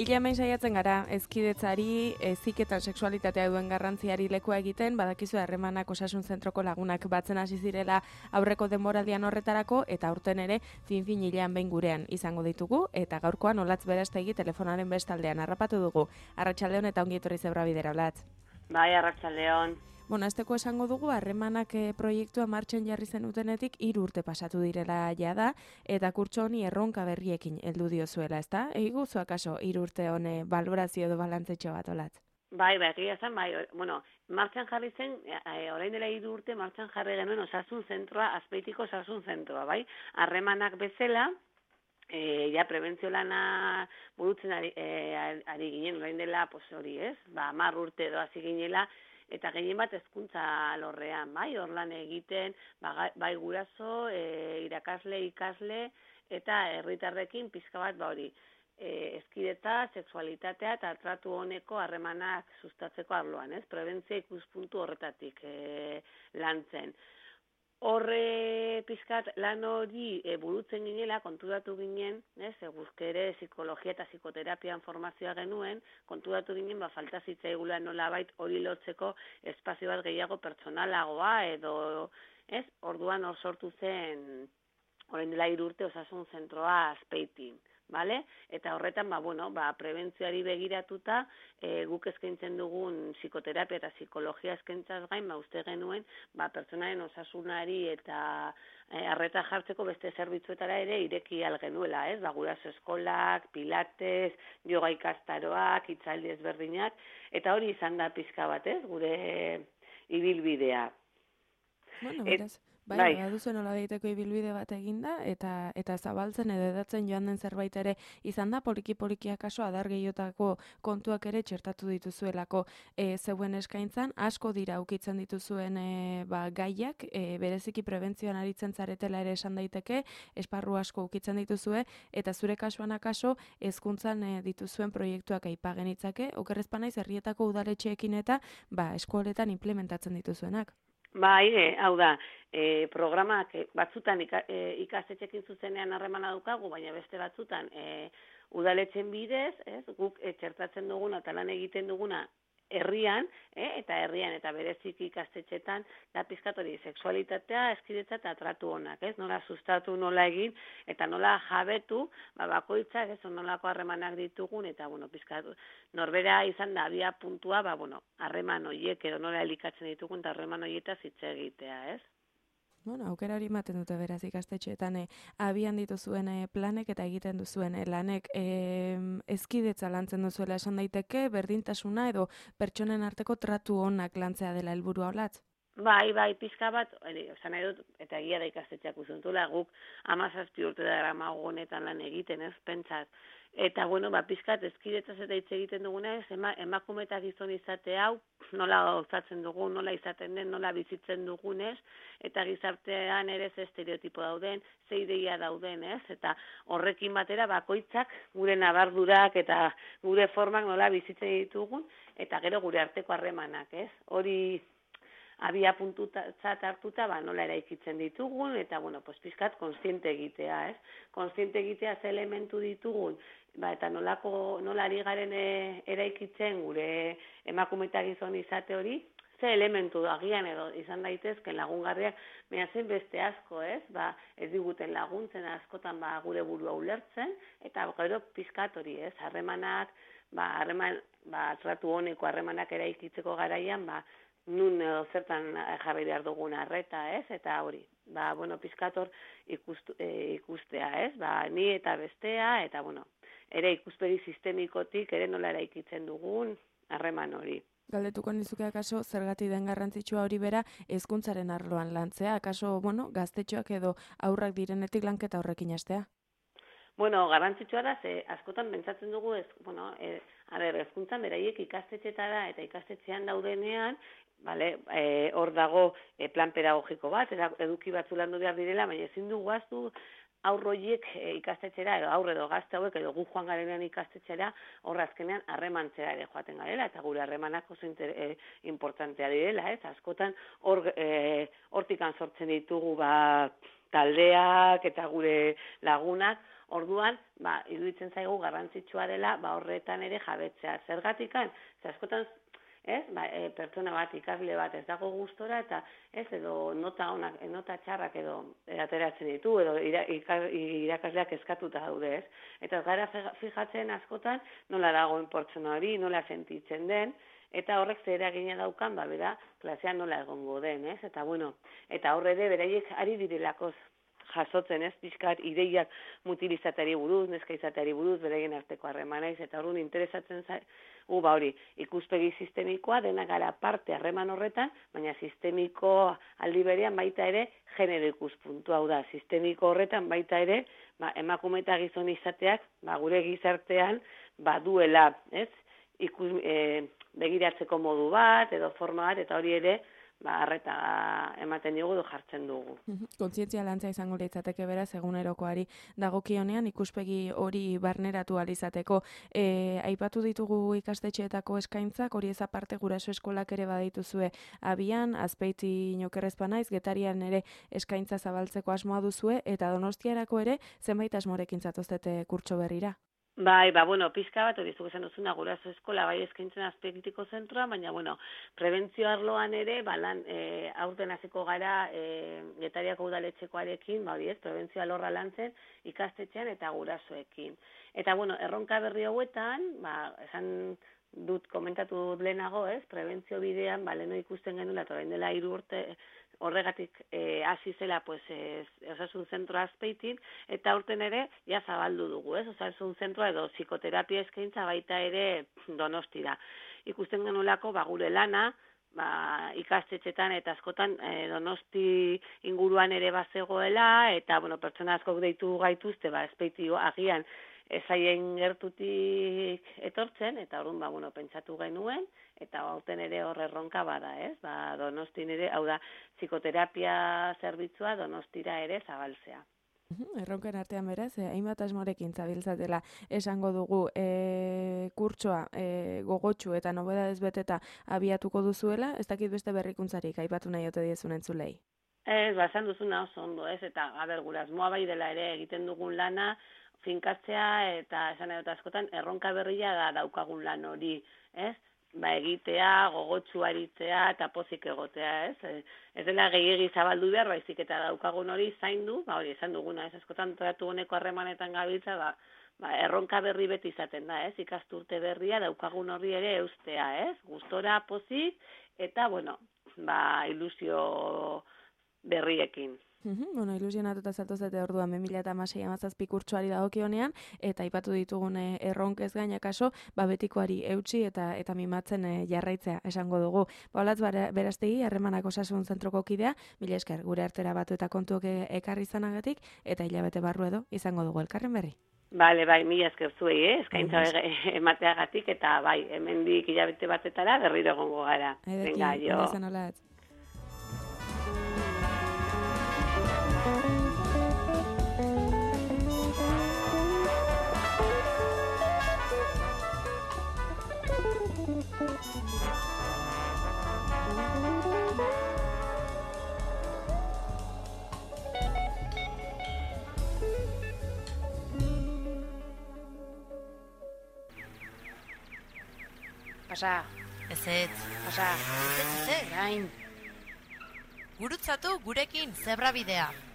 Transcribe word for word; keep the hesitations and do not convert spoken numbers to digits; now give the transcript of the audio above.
Ile hemen saiatzen gara, hezkidetzari, heziketan sexualitatea duen garrantziari lekua egiten, badakizu harremanak osasun zentroko lagunak batzen hasi zirela aurreko denboraldian horretarako, eta aurten ere fin-fin hilean behin gurean izango ditugu, eta gaurkoan Olatz Berastegi telefonaren bestaldean harrapatu dugu. Arratsaldeon eta ongi etorri Zebra Bidera, Olatz. Bai, arratsaldeon. Bueno, azteko esango dugu, harremanak e, proiektua martxan jarri zenutenetik hiru urte pasatu direla jada, eta kurtso honi erronka berriekin heldu diozuela, ezta? Eguzu akaso hiru urte hone balorazio edo balantzetxo bat, Olatz? Bai, bai, egia zen, bai, bueno, martxan jarri zen, e, orain dela hiru urte martxan jarri genuen osasun zentroa, Azpeitiko osasun zentroa, bai? Harremanak bezala, E, ja, prebentzio lana burutzen ari, e, ari ginen, orain dela, pues hori, ez? Ba, hamar urte edo hasi ginela, eta gehien bat hezkuntza alorrean, bai, hor lan egiten, ba, bai guraso, e, irakasle, ikasle, eta herritarrekin pizka bat, ba hori, e, hezkidetza, sexualitatea eta tratu honeko harremanak sustatzeko arloan, ez? Prebentzia ikuspuntu horretatik e, lantzen. Horre pizkat lan hori e, burutzen ginela, konturatu ginen, ez, e, guzke ere psikologia eta psikoterapian formazioa genuen, konturatu ginen, ba, falta zitzaigula nolabait hori lotzeko espazio bat gehiago pertsonalagoa edo, ez, orduan hor sortu zen, orain dela hiru urte osasun zentroa Azpeitin. Vale? Eta horretan, ba, bueno, ba, prebentzioari begiratuta, e, guk eskaintzen dugun psikoterapia eta psikologia eskaintzaz gain, ba, uste genuen, ba, pertsonaren osasunari eta e, arreta jartzeko beste zerbitzuetara ere ireki algenuela, ez? Ba, guraso eskolak, pilates, yoga ikastaroak, hitzaldi ezberdinak, eta hori izan da pizka bat, ez? Gure ibilbidea. Bueno, beraz. Bai, bai. Baduzu nola daiteko ibilbide bat eginda, eta eta zabaltzen edo edatzen joan den zerbait ere izan da, poliki-poliki akaso adar gehiotako kontuak ere txertatu dituzuelako e, zeuen eskaintzan, asko dira ukitzen dituzuen e, ba, gaiak, e, bereziki prebentzioan aritzen zaretela ere esan daiteke, esparru asko ukitzen dituzue, eta zure kasuan akaso hezkuntzan e, dituzuen proiektuak aipagen itzake, okerrezpanaiz herrietako udaletxeekin eta ba, eskoletan implementatzen dituzuenak. Bai, e, hau da, e, programak batzutan ika, e, ikastetxekin zuzenean harremana daukagu, baina beste batzutan e, udaletxen bidez, ez, guk e, txertatzen duguna eta lan egiten duguna herrian, e, eta herrian eta bereziki ikastetxetan, da pizkatori sexualitatea, hezkidetza eta tratu honak, ez, nola sustatu, nola egin, eta nola jabetu, ba, bakoitzak, ez, nolako harremanak ditugun, eta, bueno, pizkatu, norbera izan da, abia puntua, ba, bueno, harreman horiek edo nola elikatzen ditugun, eta harreman horietaz hitz egitea, ez? Bueno, aukera hori ematen dute beraz ikastetxeetan e, abian dituzuen e, planek eta egiten duzuen e, lanek e, hezkidetza lantzen duzuela esan daiteke, berdintasuna edo pertsonen arteko tratu onak lantzea dela helburua, Olatz? Bai, bai, pizka bat, esan nahi dut, eta egia da ikastetxeak uzuntula, guk hamazazpi urte da gramago honetan lan egiten, ez, pentsat. Eta, bueno, ba, pizkat ezkidetzaz eta hitz egiten dugunez, ema, emakume eta gizon izate hau, nola gauzatzen dugun, nola izaten den, nola bizitzen dugunez, eta gizartean ere ze estereotipo dauden, ze ideia dauden, ez? Eta horrekin batera bakoitzak gure nabardurak eta gure formak nola bizitzen ditugun, eta gero gure arteko harremanak, ez? Hori abia puntutzat hartuta, ba, nola eraikitzen ditugun, eta, bueno, pues, pizkat, konstiente egitea, ez? Konstiente egitea ze elementu ditugun, ba, eta nolako, nola ari garen e, eraikitzen gure emakume eta gizon izate hori, ze elementu agian edo izan daitezken lagungarriak, baina zen beste asko, ez? Ba, ez diguten laguntzen askotan ba, gure burua ulertzen, eta gero pizkat hori, ez? Harremanak, ba, harreman, ba, tratu honeko harremanak eraikitzeko garaian, ba, nun edo zertan jarri behar dugun arreta, ez? Eta hori, ba, bueno, pizkator ikustu, e, ikustea, ez? Ba, ni eta bestea, eta, bueno, ere ikuspegi sistemikotik, ere nola eraikitzen dugun harreman hori. Galdetuko nizuke akaso zergatik den garrantzitsua hori bera hezkuntzaren arloan lantzea, akaso, bueno, gaztetxoak edo aurrak direnetik lanketa horrekin hastea? Bueno, garrantzitsua da, ze askotan pentsatzen dugu, ez, bueno, e, a ber, hezkuntzan beraiek ikastetxetara eta ikastetxean daudenean, vale, e, hor dago e, plan pedagogiko bat, eduki batzu landu behar direla, baina ezin dugu aztu aurroiek e, ikastetxera, edo aurre edo gazte hauek, edo gu joan garenean ikastetxera, hor azkenean harremantzera ere joaten garela, eta gure harremanak oso inter, e, importantea direla, ez? Askotan hor, e, hortikan sortzen ditugu, ba, taldeak eta gure lagunak, orduan, ba, iruditzen zaigu garrantzitsua dela, ba, horretan ere jabetzea. Zergatikan, ze askotan, ez, ba, e, pertsona bat, ikasle bat, ez dago gustora, eta ez, edo nota onak, nota txarrak edo ateratzen ditu, edo ira, irakasleak eskatuta daude, ez. Eta gara fijatzen askotan, nola dagoen pertsona hori, nola sentitzen den, eta horrek zer eragina daukan, ba, bera, klasean nola egongo den, ez? Eta, bueno, eta horre ere, beraiek ari direlakoz jasotzen, ez, pixkat ideiak mutilizatari buruz, neska izatari buruz, beraien arteko harremanaiz, eta horren interesatzen zaigu, ba hori, ikuspegi sistemikoa, dena gara parte harreman horretan, baina sistemiko aldi berean baita ere genero ikuspuntu, hau da, sistemiko horretan baita ere, ba, emakume eta gizon izateak, ba, gure gizartean, ba, duela, ez, ikus, e, begiratzeko modu bat, edo forma bat, eta hori ere, ba, arreta ematen dugu edo jartzen dugu. Kontzientzia lantza izango litzateke beraz egunerokoari dagokionean ikuspegi hori barneratu ahal izateko. E, aipatu ditugu ikastetxeetako eskaintzak, hori ez aparte guraso eskolak ere badituzue abian, Azpeiti inokerrezpa naiz, Getarian ere eskaintza zabaltzeko asmoa duzue, eta Donostiarako ere zenbait asmorekin zatoztete kurtso berrira. Bai, ba, bueno, pizka bat, hori zuk esan duzuna guraso eskola, bai eskaintzen Azpeitiko zentroa, baina, bueno, prebentzio arloan ere, ba, lan, e, aurten hasiko gara, e, Getariako udaletxekoarekin, ba, hori ez, prebentzio alorra lantzen, ikastetxean eta gurasoekin. Eta, bueno, erronka berri hauetan, ba, esan dut, komentatu dut lehenago, ez, prebentzio bidean, ba, leheno ikusten genuen, eta orain dela hiru urte, horregatik hasi e, zela pues, ez, osasun zentroa Azpeitin, eta urten ere ja zabaldu dugu, ez? Osasun zentroa edo psikoterapia eskaintza baita ere Donostira. Ikusten genuelako ba, gure lana, ba, ikastetxetan eta askotan e, Donosti inguruan ere bazegoela, eta bueno, pertsona askok deitu gaituzte, ba, Azpeiti agian ezaien gertutik etortzen, eta orduan, ba, bueno, pentsatu genuen, eta aurten ere horre erronka bada, ez? Ba, Donostin ere, hau da, psikoterapia zerbitzua Donostira ere zabaltzea. Erronken artean beraz, eh, hainbat asmorekin zabiltzatela esango dugu e, kurtsoa e, gogotsu eta nobedadez beteta abiatuko duzuela, ez dakit beste berrikuntzarik aipatu nahi ote diezun entzulei. Ez, ba, esan duzuna oso ondo, ez? Eta, a ber, gure asmoa bai dela ere egiten dugun lana, finkatzea eta esan edota askotan erronka berria da daukagun lan hori, ez? Ba, egitea, gogotsu aritzea eta pozik egotea, ez? Ez dela gehiegi zabaldu behar, baizik eta daukagun hori zaindu, ba, hori esan duguna, ez? Askotan tratu honeko harremanetan gabiltza, ba, ba, erronka berri beti izaten da, ez? Ikasturte berria daukagun hori ere eustea, ez? Gustora, pozik eta, bueno, ba, ilusio berriekin. Uhum, bueno, ilusionatuta zatozete orduan bi mila hamasei hamazazpi kurtsoari dagokionean, eta aipatu ditugun erronkez gaina kaso, ba betikoari eutsi eta eta mimatzen e, jarraitzea esango dugu. Paulatz Berastegi, Harremanak Osasun Zentroko kidea, mila esker gure artera batu eta kontuok ekarri izanagatik, eta hilabete barru edo izango dugu elkarren berri. Bale, bai, mila esker zuei, eh? Eskaintza emateagatik, eta bai, hemendik hilabete batetara berriro egongo gara. Venga, jo. Pasa. Ezetz. Pasa. Ezetz, ezetz. Gain. Gurutzatu gurekin zebra bidea.